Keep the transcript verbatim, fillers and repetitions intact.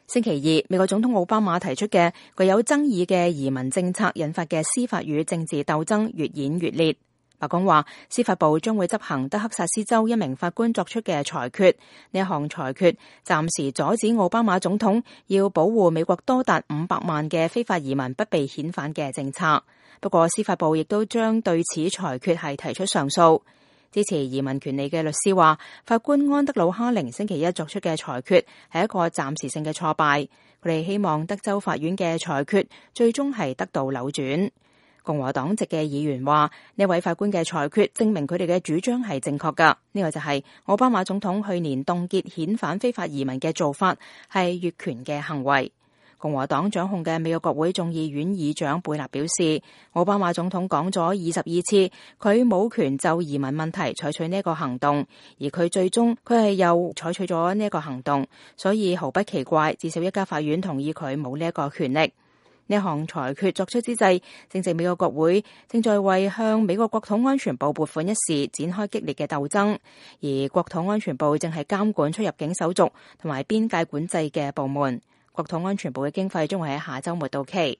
星期二，美國總統奧巴馬提出嘅具有爭議嘅移民政策引發嘅司法與政治鬥爭越演越烈。白宮話，司法部將會執行德克薩斯州一名法官作出嘅裁決，呢一項裁決暫時阻止奧巴馬總統要保護美國多達五百萬嘅非法移民不被遣返嘅政策。不過，司法部亦都將對此裁決係提出上訴。支持移民權利嘅律師話，法官安德魯哈寧星期一作出嘅裁決係一個暫時性嘅挫敗，佢哋希望德州法院嘅裁決最終係得到扭轉。共和黨籍嘅議員話，呢位法官嘅裁決證明佢哋嘅主張係正確㗎，呢個就係奧巴馬總統去年凍結遣返非法移民嘅做法係越權嘅行為。共和黨掌控嘅美國國會眾議院議長貝納表示，奧巴馬總統講咗二十二次佢冇權就移民問題採取呢一個行動，而佢最終佢係又採取咗呢一個行動，所以毫不奇怪，至少一家法院同意佢冇呢一個權力。呢項裁決作出之際，正值美國國會正在為向美國國土安全部撥款一事展開激烈嘅鬥爭，而國土安全部正係監管出入境手續同埋邊界管制嘅部門。國土安全部嘅經費將會喺下週末到期。